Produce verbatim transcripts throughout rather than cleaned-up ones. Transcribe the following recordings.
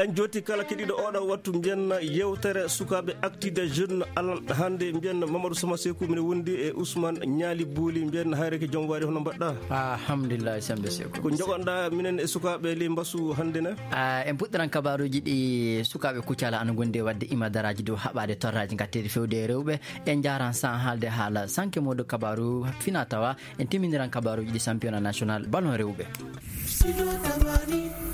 En jooti kala keɗiiɗo oɗo wattu, mbiyen yewtere sukaaɓe Actu des Jeunes alan hannde. Mbiyen Mamadou Sama Seku, mine wondi e Ousmane Ñaali Bouli. Mbiyen hayreke joom waari, hono mbaɗɗa? Alhamdulillah, Sembe Seku. Ko jogoɗɗa minen e sukaaɓe ley mbasu hannde ne? Ah, en puɗɗiran kabaaruuji ɗi sukaaɓe Kucala ana ngondi e waɗde imadaraaji dow haɓaade torraaji ngatteeɗi fewde e rewɓe. En njaaran san haalde haala sanke mawɗo kabaaru fina tawa. En timminiran kabaaruuji ɗi championnat national ballon rewɓe.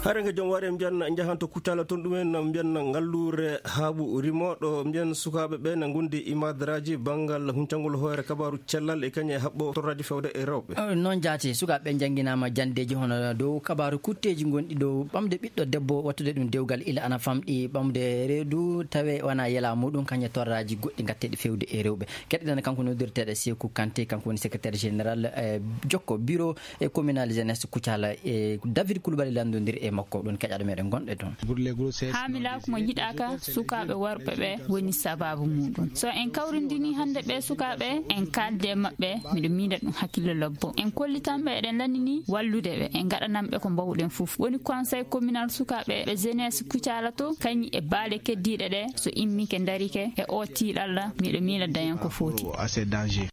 Hare nga joom waare mbiyan njahan to Kucala, toon ɗumen mbiyan ngalluure haaɓu rimoɗo, mbiyan sukaaɓe ɓe na ngondi imadaraaji banngal huncangol hoore kabaaru cellal e kañe haɓɓo torraaji fewde e rewɓe. Eh, noon jaati, sukaaɓe ɓe njannginaama janndeeji hono dow kabaaru kutteeji ngonɗi dow ɓamde ɓiɗɗo debbo, wattude ɗum dewgal ila ana famɗi ɓamde reedu, tawe wona yela muɗum, kañe torraaji goɗɗi ngatteeɗi fewde e rewɓe. Keɗɗen kanko noddirteeɗo Seeku Kanté, kanko woni secrétaire général, eh, jokko bureau e communal jeunesse Kucala, e David Coulibaly lanndondiri e makko, ɗon keƴaɗo meɗen gonɗe toon. Haamilaaku mo njiɗaaka sukaaɓe worɓe ɓe woni sabaabu muɗum. So en kawrindini hannde ɓe sukaaɓe, en kaalde e maɓɓe, miɗo miila ɗum hakkille lobbo. En kollitan ɓe, eɗen lanndini wallude ɓe, en ngaɗanan ɓe ko mbaawɗen fof. Woni conseil communal sukaaɓe ɓe jeunesse Kucala to, kañi e baale keddiiɗe ɗe, so immike ndarike e o tiiɗalla, miɗo miila dañen ko foti.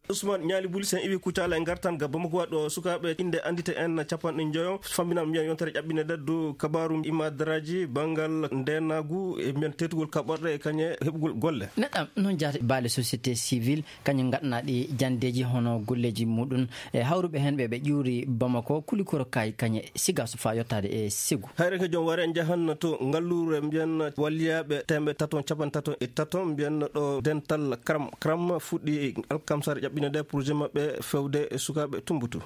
Ousmane Ñaali Buli, sen iwi Kucala e ngartan ga Bamako waɗo sukaaɓe innde anndite en capanɗe njoyo. Famminam mbiyan yontere ƴaɓɓine ɗe dow kabaaru imadaraaji banngal ndeenaagu e mbiyan teetugol kaɓorɗe e kañe heɓugol golle. Neɗɗam noon jaati baale société civile, kañum ngaɗana ɗi janndeeji hono golleeji muɗum e hawruɓe heen ɓe ɓe ƴuuri Bamako, Kulikoro Kaay, kañe Sigaso faa yottaade e Segu. Hayre ko joom ware njahan to ngalluure mbiyan walliyaaɓe teemɓe tato capanɗe tato e tato mbiyan ɗo dental Kram Kram fuɗɗi alkamsare ƴaɓɓine ɗe projet maɓɓe fewde e sukaaɓe Tumbutu.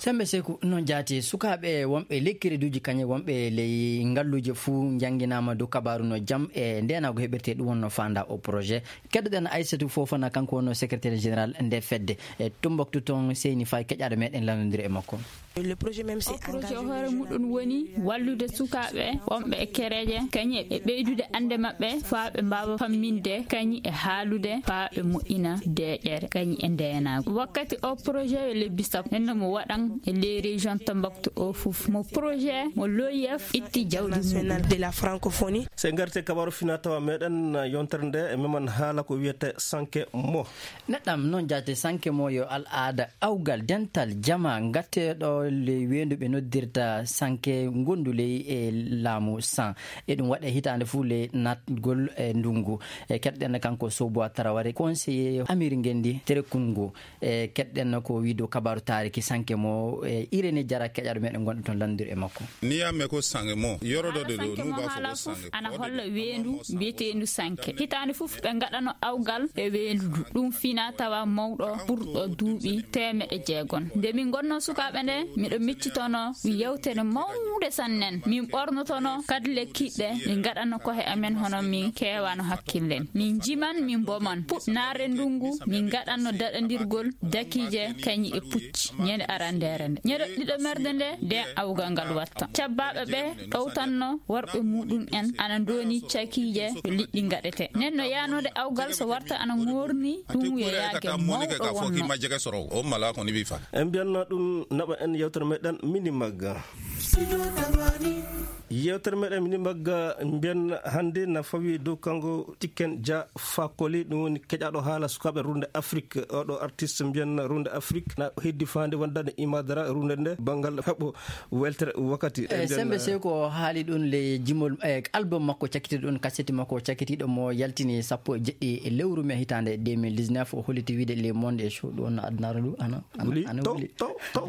Sembe Seku, noon jaati sukaaɓe wonɓe ley kereduuji kañe wonɓe ley ngalluuje fuu njannginaama dow kabaaru no jam e ndeenaagu heɓirtee ɗum wonno faanda o projet. Keddoɗen Aissatou Fofana, kanko wonno secrétaire général nde fedde. E Tumbaktu toon seyni fay keƴaɗo meɗen lanndondiri e makko. Le projet même, c'est o projet o hoore muɗum woni wallude sukaaɓe wonɓe e kereeje kañi e ɓeydude annde maɓɓe faa ɓe mbaawa famminde kañi e haalude faa ɓe moƴƴina deeƴere kañi e ndeenaagu. Wakkati o projet yo lebbi sappo, nenno mo waɗan e les régions Tambaktu o fof. Mo projet mo l'O I F itti jawdi muɗum. De la francophonie. Se ngarte kabaru fina tawa meɗen yontere nde e meman haala ko wiyete sanke mo. Neɗɗam noon jaate sanke mo yo al aada awgal dental jama ngatteɗo ley weendu ɓe noddirta sanke ngondu ley e laamu san. E ɗum waɗe hitaande fuu ley naatgol e ndungu. E keɗɗen kanko Sobo Taraware, conseiller Amir Ngendi Terekungu. E keɗɗen ko wiido kabaru taariki sanke mo e Irene Jara keƴaɗo meɗen gonɗo toon lanndiri e makko. Ni yamme ko sange mo yorodo de lo nu ba fo sange ana holla weendu mbiyeteendu sanke. Hitaande fof ɓe ngaɗano awgal e weendu ndu. Ɗum fina tawa mawɗo ɓurɗo duuɓi teemeɗe jeegom. Nde min ngonno sukaaɓe nde, miɗo miccitono ɗum yewtere mawnde sannen. Min ɓornotono kadi lekkiɗe, min ngaɗano kohe amen hono min keewano hakkillen. Min njiman, min mboman. Puɗ naare ndungu, min ngaɗanno daɗandirgol dakiije kañi e pucci. Ñande arandeere nde. Ñande ɗiɗo merde nde, nden awgal ngal watta. Cabbaaɓe ɓe ɗowtanno worɓe muɗum en ana ndooni cakiije ko liɗɗi ngaɗete. Nden no yaanode awgal so warta ana ŋoorni ɗum yo yaage mawɗo wonno. En mbiyanno ɗum naɓa en yewtere meɗen mini magga. Yewtere meɗen mini magga mbiyan hannde na fawi dow kanko Tiken Dia Fakoli, ɗum woni keƴaɗo haala sukaaɓe runde Afrique. Oɗo artiste mbiyan runde Afrique na heddi faande wondande imadara runde nde banngal heɓo weltere wakkati. E sembe sew ko haali ɗum le jimol e album makko cakkitiiɗo ɗum, kaseti makko cakkitiiɗo mo yaltini sappo e jeɗɗi e lewru me hitaande deux mille dix-neuf, o holliti wiide le monde e show ɗum wonno addunaaro ndu ana ana wuli ana to wuli to to.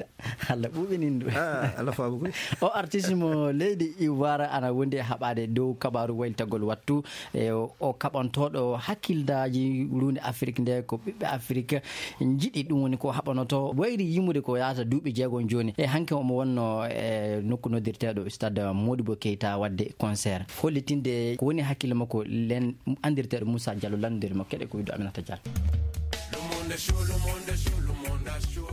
Allah ɓuuɓinin ndu. Ah, Allah faabu koy. O artiste mo leydi Ivoire ana wondi e haɓaade dow kabaaru waylitagol wattu e o kaɓantooɗo hakkildaaji runde Afrique nde ko ɓiɓɓe Afrique njiɗi, ɗum woni ko haɓanoto wayri yimude ko yaata duuɓi jeegom jooni. E hanke omo wonno e nokku noddirteeɗo stade Modibo Keita waɗde concert. Hollitinde ko woni hakkille makko len andirteeɗo Moussa Diallo lanndiri mo keɗe ko wiɗo Aminata Diallo. Le monde est chaud, le monde est chaud, le monde est chaud.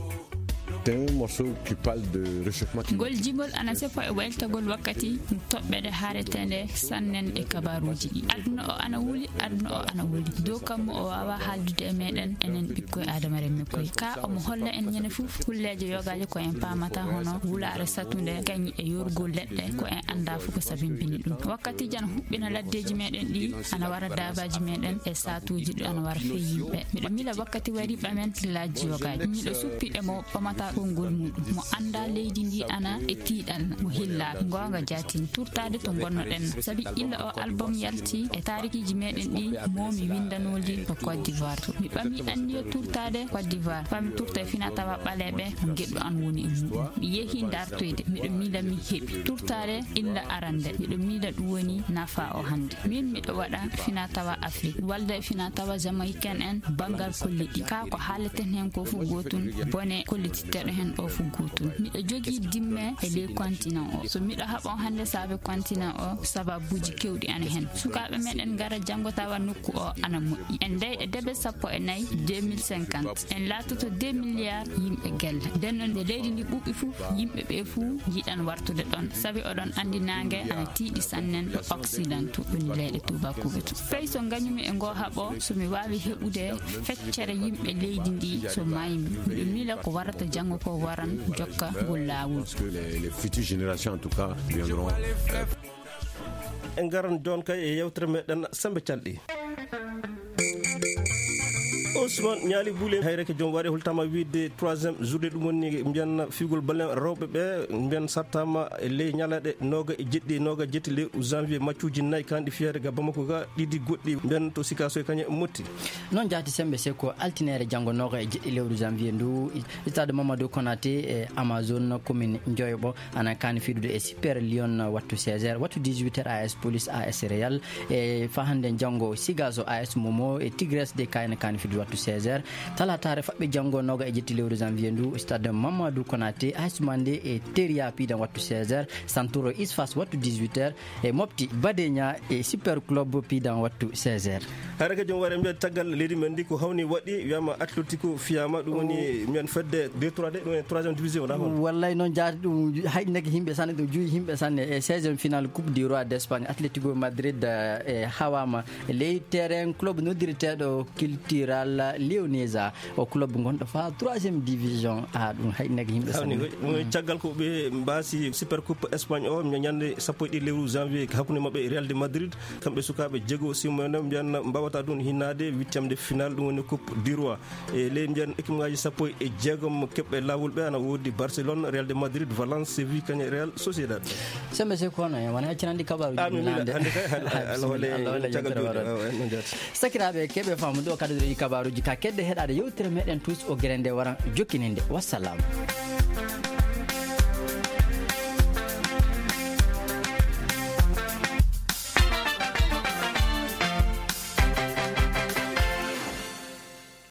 C'est un morceau qui parle de réchauffement climatique. Ngol jimol ana seppo e waylitagol wakkati toɓɓere haareteende sannen e kabaaruuji ɗi. Aduna o ana wuli, aduna o ana wuli. Dow kammu o waawaa haaldude e meeɗen, enen ɓikkoy Aadama remme koy. Ka omo holla en ñande fof kulleeje yogaaje ko en paamata, hono wulaare satunde, kañum e yorgol leɗɗe, ko en anndaa fof ko sabimbini ɗum. Wakkati jan huɓɓina laddeeji meeɗen ɗi, ana wara daabaaji meeɗen e saatuuji ɗi ana wara fee yimɓe. Miɗo mila wakkati wari ɓamen laaji yogaaji. Miɗo suppi e mo ɓamata konngol muɗum. Mo anndaa leydi ndi ana e tiiɗal, mo hillaaka. Ngoonga jaatin, turtaade to ngonnoɗen. Sabi illa o album yalti e taarikiiji meeɗen ɗi, mo mi winndanooli ko Côte d'Ivoire to. Mi ɓami anniya turtaade Côte d'Ivoire. Fami turta e fina tawa ɓaleeɓe, ngeɗu an woni e muɗum. Mi yehi dartoyde, miɗo mila mi heɓi. Turtaade illa arande, miɗo mila ɗum woni nafa o hannde. Min miɗo waɗa fina tawa Afrique, walda e fina tawa Jamaïcain en, banngal kolliɗi. Ka ko haaleten heen ko fof gootum, bone kollititteɗo heen o fof gootum. Miɗo jogii dimme e ley continent o. So miɗo haɓo hannde saabe continent o, sababuuji kewɗi ana heen. Sukaaɓe meɗen ngara janngo tawa nokku o ana moƴƴi. En ndeyɗe debe sappo e nayi deux mille cinquante. En laatoto deux milliards yimɓe gelle. Nden noon nde leydi ndi ɓuɓɓi fof, yimɓe ɓe fof njiɗan wartude ɗon. Sabi oɗon anndi naange ana tiiɗi sannen e Occident to, woni leyɗe tuubakooɓe to. Fay so ngañumi e ngoo haɓo, so mi waawi heɓude feccere yimɓe leydi ndi so maaymi, miɗo mila ko warata janngo ko waran jokka ngol laawol. Parce que les, les futures générations, en tout cas, viendront, euh, En ngaran jooni kay e yewtere meɗen Sembe Calɗi. Ousmane Ñaali Buule, hayreke joom waɗe holtama wiide troisième journée, ɗum woni mbiyan fiugol balen rewɓe ɓe, mbiyan sattama e ley ñalaɗe nooga e jeɗɗi, nooga e jetti lewru janvier, maccuuji nayi kanɗi fiyade ga Bamako ga, ɗiɗi goɗɗi mbiyan to Sikaso e kañe Motti. Noon jaati Sembe, se ko altinere janngo nooga e jeɗɗi lewru janvier ndu, stade Mamadou Konaté e Amazone commune Njoyoɓo ana kaani fiɗude e Super Lion wattu seize heures, wattu dix-huit heures A S Police A S Real, e fa hannde janngo Sigaso A S Momo e Tigres de Kayna kaani fiɗude wattu seize heures. Talataare faɓɓe janngo nooga e jetti lewru janvier ndu, stade Mamadou Konaté, A S Mandé e Teria piidan wattu seize heures, Santoro Isfas wattu dix-huit heures, e Mopti Badenia e Super Club piidan wattu seize heures. Hayreke joom waɗe mbiyan caggal leydi men ndi ko hawni waɗi, wiyama Atletico fiyama, ɗum woni mbiyan fedde deux trois de, ɗum woni troisième division, wona hono? Wallay noon jaati, ɗum hayɗinaki yimɓe sanne, ɗum juuyi yimɓe sanne. E seizième finale Coupe du Roi d'Espagne, Atletico Madrid, eh, e hawama ley terrain club noddirteɗo Cultural Leonesa, o club gonɗo fa troisième division. A, ɗum hayɗinaki yimɓe sanne. Hawni koy, ɗum woni caggal ko ɓe mbaasi Super Coupe Espagne o, ñande sappo e ɗiɗi lewru janvier, hakkunde maɓɓe e Real de Madrid. Kamɓe sukaaɓe jeego, Simon, mbiyan mbawata ɗum hinnaade huitième de finale, ɗum woni Coupe du Roi. E ley mbiyan équipe ngaji sappo e jeegom keɓɓe laawol ɓe, ana woodi Barcelone, Real de Madrid, Valence, Séville, kañe Real Sociedad. Sembe se kono en wona accirandi kabaru. Ah, mi miila hannde kay, hal-, hal-, hal-, hole, caggal jooɗi. Ah, ouais, non, jaati. Sakiraaɓe keɓe faamu ɗo kadi ɗo e kabaruji ka kedde heɗade yewtere meɗen tous o gere nde waran jokkininde. Wassalam.